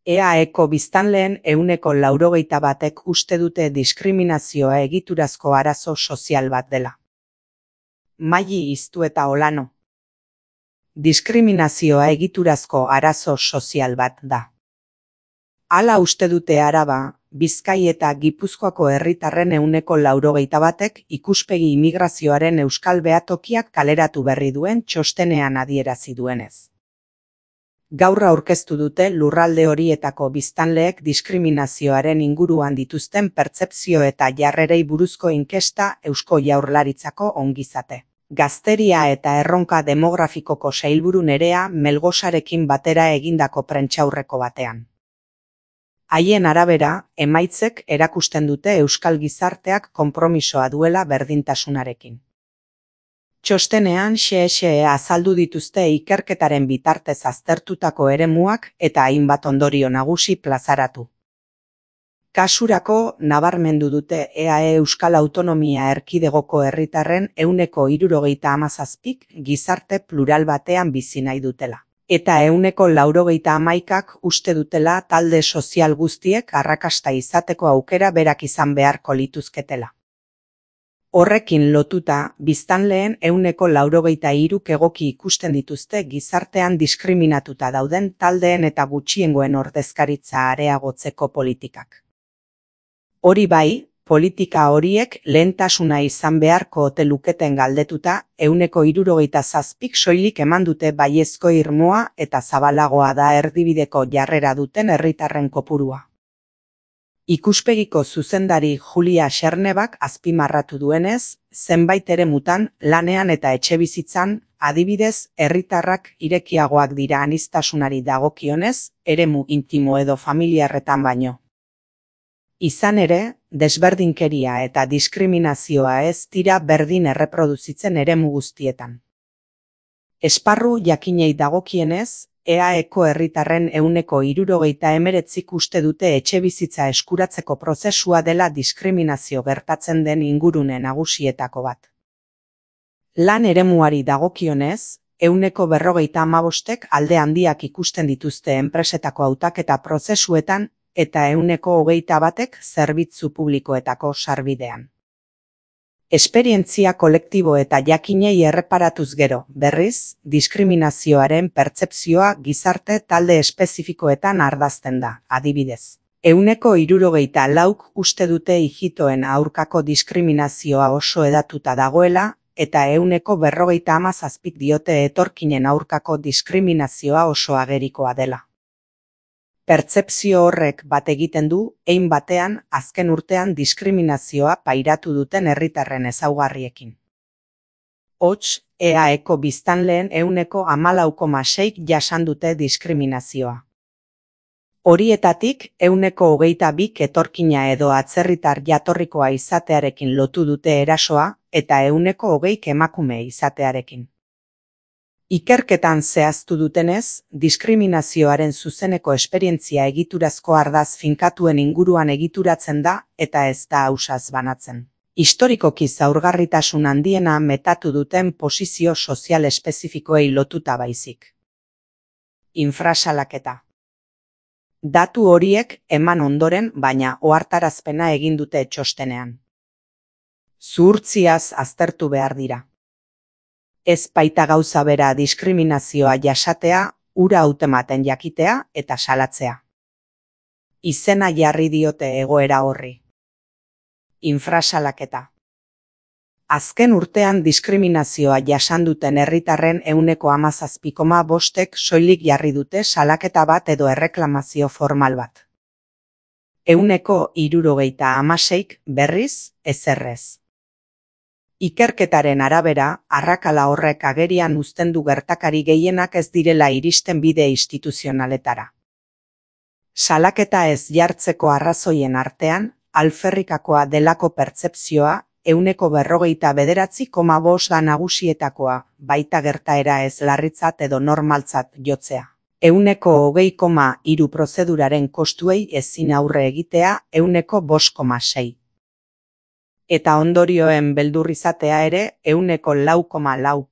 EAEko biztanleen 81%ek uste dute diskriminazioa egiturazko arazo sozial bat dela. Maili Iztueta Olano. Diskriminazioa egiturazko arazo sozial bat da. Hala uste dute Araba, Bizkai eta Gipuzkoako herritarren 81%ek ikuspegi immigrazioaren euskal behatokiak kaleratu berri duen txostenean adierazi duenez. Gaur aurkeztu dute lurralde horietako biztanleek diskriminazioaren inguruan dituzten pertzepzio eta jarrerei buruzko inkesta Eusko Jaurlaritzako ongizate, gazteria eta erronka demografikoko sailburu Nerea Melgosarekin batera egindako prentsaurreko batean. Haien arabera, emaitzek erakusten dute euskal gizarteak konpromisoa duela berdintasunarekin. Txostenean xe azaldu dituzte ikerketaren bitartez aztertutako eremuak eta hainbat ondorio nagusi plazaratu. Kasurako nabarmendu dute EAE Euskal Autonomia Erkidegoko herritarren 77%k gizarte plural batean bizi nahi dutela. Eta 91%ak uste dutela talde sozial guztiek arrakasta izateko aukera berak izan beharko lituzketela. Horrekin lotuta, biztanleen 93%k egoki ikusten dituzte gizartean diskriminatuta dauden taldeen eta gutxiengoen ordezkaritza areagotzeko politikak. Hori bai, politika horiek lehentasuna izan beharko ote luketen galdetuta, 67%k soilik eman dute baiezko irmoa eta zabalagoa da erdibideko jarrera duten herritarren kopurua. Ikuspegiko zuzendari Julia Xernebak azpimarratu duenez, zenbait eremutan, lanean eta etxebizitzan, adibidez, herritarrak irekiagoak dira aniztasunari dagokionez, eremu intimo edo familiarretan baino. Izan ere, desberdinkeria eta diskriminazioa ez dira berdin erreproduzitzen eremu guztietan. Esparru jakinei dagokienez, EAEko herritarren 79%k uste dute etxebizitza eskuratzeko prozesua dela diskriminazio gertatzen den ingurune nagusietako bat. Lan eremuari dagokionez, 45%k alde handiak ikusten dituzte enpresetako hautaketa prozesuetan eta 21%k zerbitzu publikoetako sarbidean. Esperientzia kolektibo eta jakinei erreparatuz gero, berriz, diskriminazioaren pertzepzioa gizarte talde espezifikoetan ardazten da, adibidez. 74%k uste dute ijitoen aurkako diskriminazioa oso hedatuta dagoela, eta 47%k diote etorkinen aurkako diskriminazioa oso agerikoa dela. Pertzepzio horrek bat egiten du, hein batean, azken urtean diskriminazioa pairatu duten herritarren ezaugarriekin. Hots, EAEko biztanleen 14,6%k jasan dute diskriminazioa. Horietatik, 22%k etorkina edo atzerritar jatorrikoa izatearekin lotu dute erasoa, eta 20%k emakume izatearekin. Ikerketan zehaztu dutenez, diskriminazioaren zuzeneko esperientzia egiturazko ardaz finkatuen inguruan egituratzen da eta ez da ausaz banatzen. Historikoki zaurgarritasun handiena metatu duten posizio sozial espezifikoei lotuta baizik. Infrasalaketa. Datu horiek eman ondoren, baina ohartarazpena egin dute txostenean. Zuhurtziaz aztertu behar dira. Ez baita gauza bera diskriminazioa jasatea, hura hautematen jakitea eta salatzea. Izena jarri diote egoera horri. Infrasalaketa. Azken urtean diskriminazioa jasan duten herritarren 17,5%k soilik jarri dute salaketa bat edo erreklamazio formal bat. 76%k berriz, ezerrez. Ikerketaren arabera, arrakala horrek agerian uzten du gertakari gehienak ez direla iristen bide instituzionaletara. Salaketa ez jartzeko arrazoien artean, alferrikakoa delako pertzepzioa, 49,5% da nagusietakoa, baita gertaera ez larritzat edo normaltzat jotzea. 20,3% prozeduraren kostuei ezin aurre egitea, 5,6%. Eta ondorioen beldur izatea ere 4,4%.